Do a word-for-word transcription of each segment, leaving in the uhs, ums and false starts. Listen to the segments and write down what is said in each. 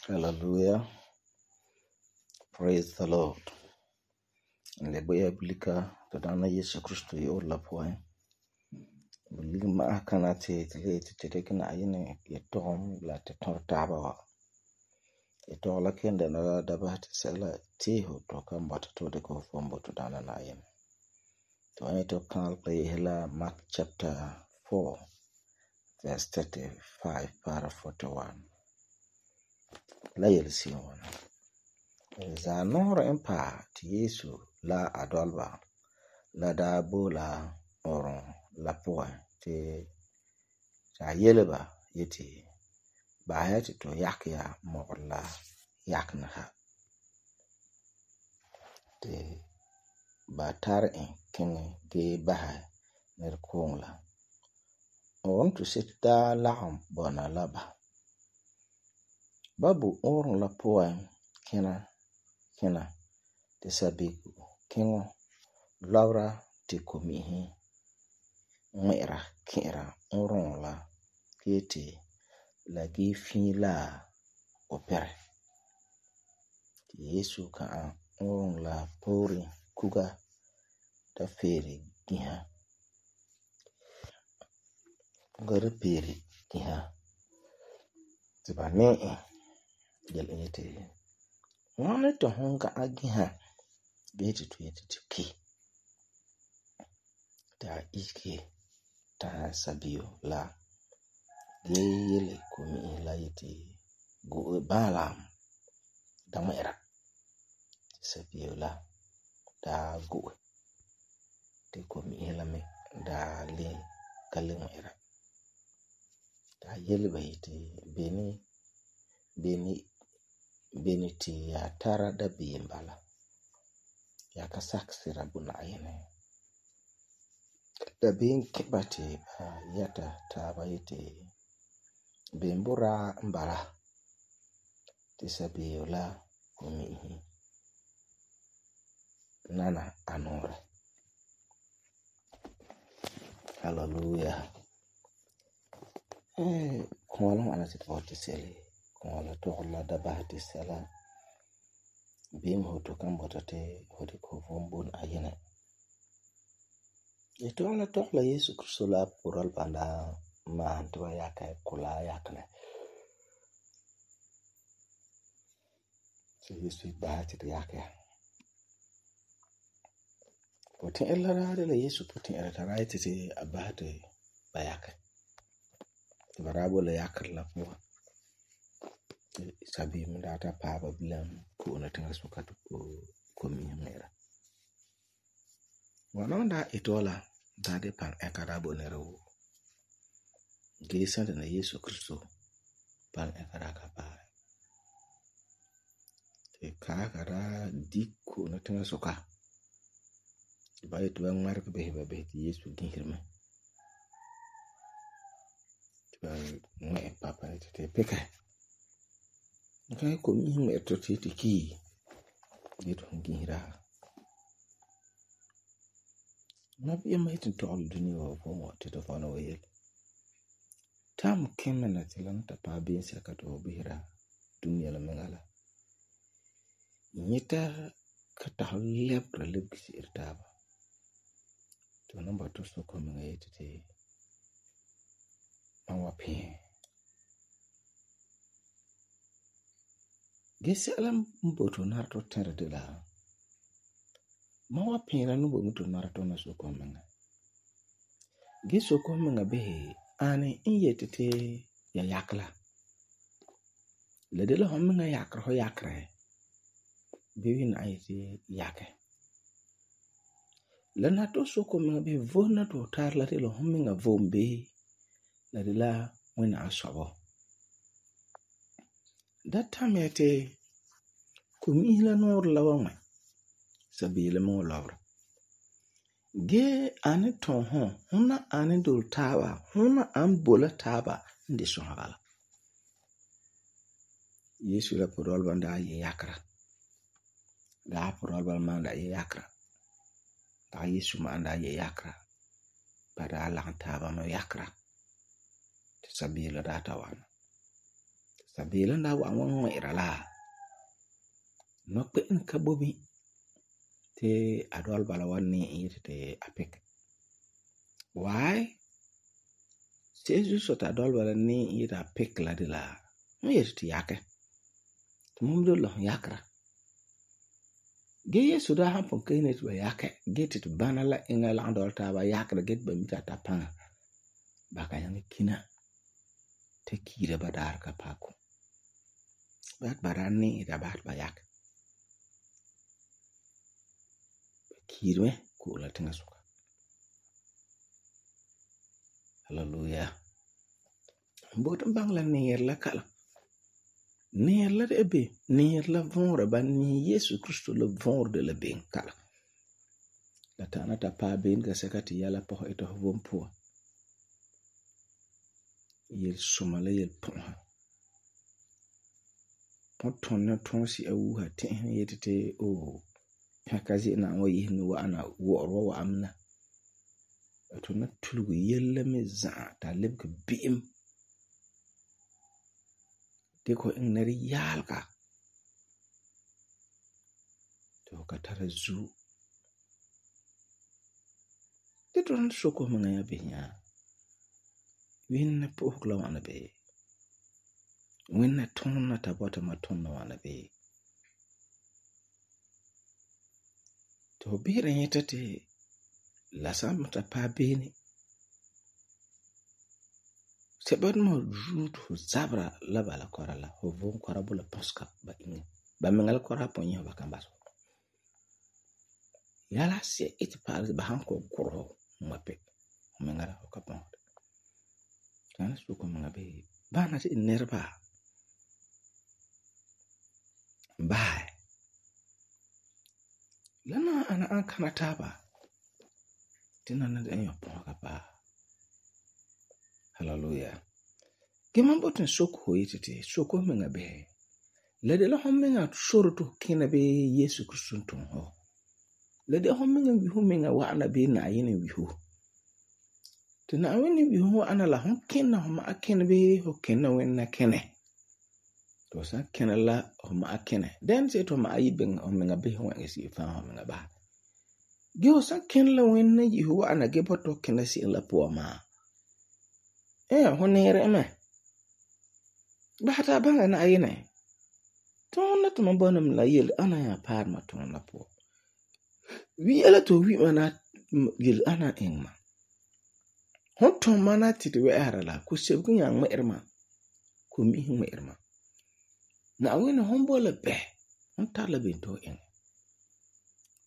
Hallelujah. Praise the Lord. Lebuya blika to dana Yesu Kristo yo la poin. Bulig ma kana te te te te kana ayine ye tom la te tor taba wa. Ye to la kende na da ba te sela ti ho to kan bot to de ko fombo to dana na ayine. To ay to kan play hela Mark chapter four verse thirty-five para forty-one. La yelsi wana. Za nora empa ti Yesu la adolba la da bola oron la poa ti ta yeleba yeti ba hati to yakya mo la yakna ha ti ba tar en ken ge baha ner kongla on to sita la bona laba babu oron la poa kena kena te sabiku kengo laura te komihi mwera kera oron la kete la gifi la opere Yesu ka oron la pori kuga ta feri giha gara peri giha tiba ne gel ete wana to honga agiha beti to yeti ki ta iki ta sabio la yele komi la yeti go balam da mera sabio la da go te komi la me da le kalmera ta yele bayiti beni beni beniti ya tara da bimbala ya kasaksira buna ayene da bin kibati yata tabayiti bimbura mbara tisabiola kumihi nana anore. Hallelujah. Eh kono ana tipoti sele kono to la da bahati sala bim hoto kan botate hodi ko vombon ayene eto la to la Yesu Kristo la pural banda ma to yaka kula yakne so Yesu bahati yaka potin ella la Yesu potin era taraiti ti abahati bayaka barabo la yakar la po sabi mdata paba bilam ko na tanga sukatu ko komi mera wanonda itola dade pan ekarabo nero gesa na Yesu Kristo pan ekaraka pa e kakara dikko na tanga suka bayit wan mark be be be Yesu dinhirme ba me papa te peka kai ko mi me to ti ki dito ngira na bi mai tin to al duniya ko mo te to fana wayel tam kemena tilanta pa bin saka to bihira duniya la mengala nyita ka ta leb relib si irtaba to namba to so ko me yete an wa pɛɛ. Ge sɛla n boto nara to tɛra de la ma wa pɛɛra no bo mi to nara to na sokon menga. Ge sokon menga behe ani n yeti te ya yakla. La de la hon menga yakra ho yakra. Bewi na yeti yake. La na to sokon menga be vona to tar la de la hon menga vom be la de la wena asobo. Da tam yeti kumi la nor la wa sabile mo lawra. Ge ani ton hon hona ani dol taba hona an bola taba ndi sohagala. Yesu la podol banda ye yakra. Da podol bal manda ye yakra. Da Yesu manda ye yakra. Bada la taba no yakra. Te sabile da ta wana. Sabile nda wa wan ira la. No pe en kabobi te adol bala wani yiti te apik. Why? Seju sota adol bala ni yiti apik la de la. Mo yiti te yake. Tumumdo lo yakra. Ge Yesu da hampon kene te ba yake. Ge te bana la inga la andol ta ba yakra get ba mita tapanga. Baka yang kina. Te kira ba dar ka pako. Bat barani ida bat ba yake. Kirwe kula tinga suka. Hallelujah. Mbotan bang la neer la kala. Neer la de be. Neer la vonra ba ni Yesu Kristo la vonra de la ben kala. La tana ta pa ben ka sekati yala poho ito hovon pua. Yel sumala yel ponha. Ponton na tonsi awuha tehen yetete o. Hakazi na wa yihni wa ana woro wa amna. Ato na tulugu yella me za ta lebka biim. Deko ing nari yalka. To ka tara zu. Dito na soko mga ya binya. Winna pohukla wana be. Winna tonna tabota matonna wana be. To bira yetete la samta pa bene. Sebad mo jut ho zabra la bala korala ho von korabula poska ba inga. Ba mengal korapon yo ba kambaso. Yala se it pa ba hanko koro mape. Mengala ho kapon. Kana suko mga be. Ba na si nerba. Bye. Lana ana an kana taba. Tina na de enyo ponga pa. Hallelujah. Geman boten soko ho yitete. Soko menga be. Lede la hon menga soroto kina be Yesu Kristo ton ho. Lede hon menga wihu menga wa ana be na yene wihu. Tina awene wihu wa ana la hon kina homa akene be ho kena wenna kene. To sa kena la homa akene. Den se to ma ayi ben hon menga be ho ngesi fa hon menga ba. Ge o sa kena la wenna yihu wa ana ge boto kena si la po ma. Eh honere me. Ba ta banga na ayene. Tona to mabonam la yel ana ya par ma tona po. Wi ala to wi mana yel ana engma. Hon ton mana titi we ara la ku sebu yang me erma. Ku mi me erma. Na awene hon bola be. Hon tala bento eng.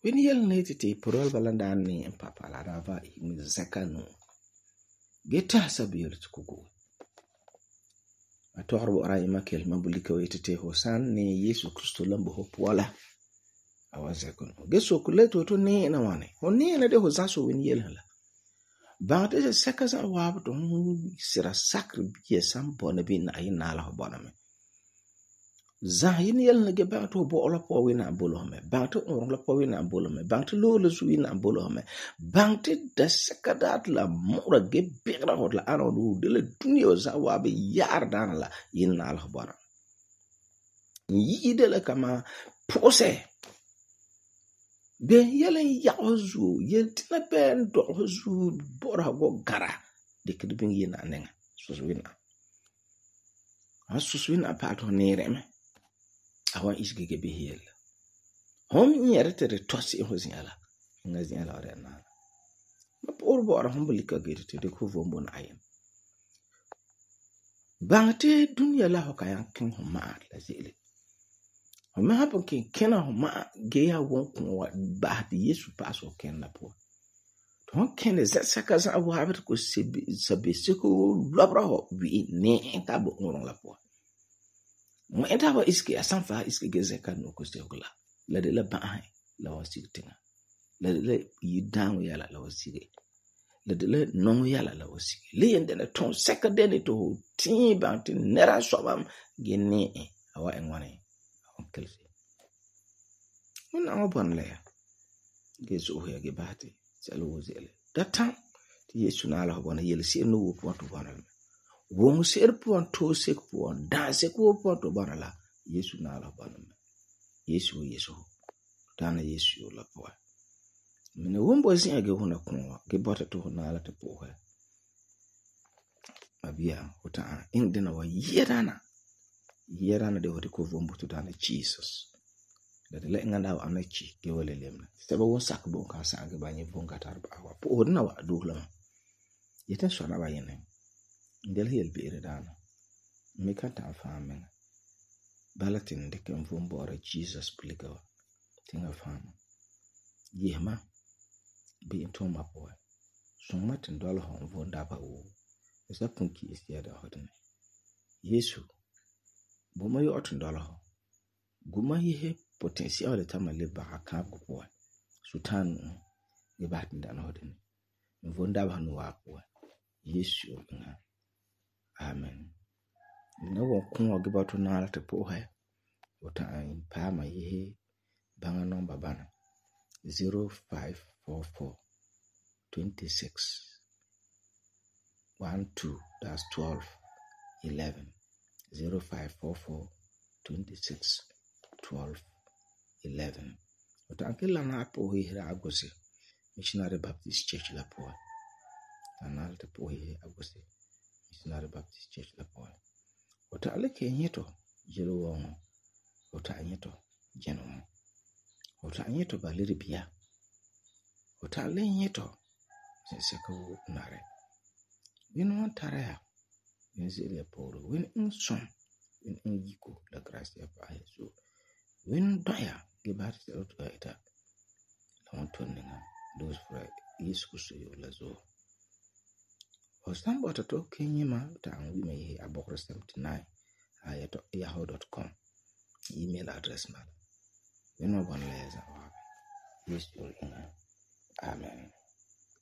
Wen yel ne titi porol balanda ni papa la rava mi zakanu. Geta sabir tukugo. Atorbo rai makel mabulika wetete hosan ni Yesu Kristo lambo hopwala. Awazekon. Geso kuleto to ni na wane. Honi na de hozaso wen yel hala. Bante se sekaza wabu to sira sakri biye sampo na bi na ayin na ala hobona me. Zahin yel na ge bante ho bo ola po wina ambolo me. Bante on la po wina ambolo me. Bante lo la su wina ambolo me. Bante da sekadat la mura ge bigra hot la ano du de la dunia za wabe yar dan la yin na ala hobona. Yi de la kama pose. Ben yelen yaozu yel tina ben dozu bora go gara de kidbin yina nenga sus wina ha sus wina pa to nere me awan isge ge behel hom yere te de tosi ho ziala nga ziala re na ma por bo ara hom bulika ge te de ko vombo na ayen bangte dunya la ho kayan kin ho ma la zele ho ma ha kin kena ho ma ge ya won ko ba de Yesu paso ken la po ton ken ze saka za abu ha ko sebi sabe seko lobra ho wi ne ta bo ngorong la po mo enta ba iski asan fa iski ge ze kan no ko se ko la la de la ba hai la wasi tinga la de la yi down ya la la wasi la de la non ya la la wasi le yende na ton seka de ne to tin ba tin nera so bam ge ne awa enwane on kelsi on awa bon le ge so ho ya ge bahati salo wozele datan ti Yesu na la bona yel si no wo po to bona wo mo ser po to se po da se ko po to bona la Yesu na la bona Yesu Yesu dana Yesu la po mene wombo sin age hona ko ge bota to na la te po ha abia uta in dina wa yerana yerana de wodi ko vombo to dana Jesus da le nganda wa anachi ge wole lemna sebe won sak bon ka sa ge banye bon ka tar ba wa po na wa do la yeten so na ba yene ndel hel bi ere dana me ka ta famen balatin de kan vombo ora Jesus pliga tinga fama yema bi into ma po so matin dole hon vonda ba o esa punki isia da hodne Yesu bo ma yo otun dole ho guma ihe potential de tamale ba ka ko po sultan e ba tin da hodne vonda ba no wa po Yesu na amen no wo kun o gba to na te po ha ota an pa ma ihe banga number bana zero five four four twenty-six twelve that's twelve eleven zero five four four twenty-six twelve eleven ota akela na po hira agose Missionary Baptist Church la po anal te po hira agose Missionary Baptist Church la po ota aleke nyeto jelo won ota nyeto jeno ota nyeto baleri bia ota le nyeto se ko nare win won taraya win zile poro win unson win ungiko la gracia pa Yesu win doya gebar se oto ita don tonninga those for Yesu kuso yo lazo osamba to kenyima ta wi me abokro seventy-nine ayato yahoo dot com email address ma win mo bon leza wa Yesu ina amen.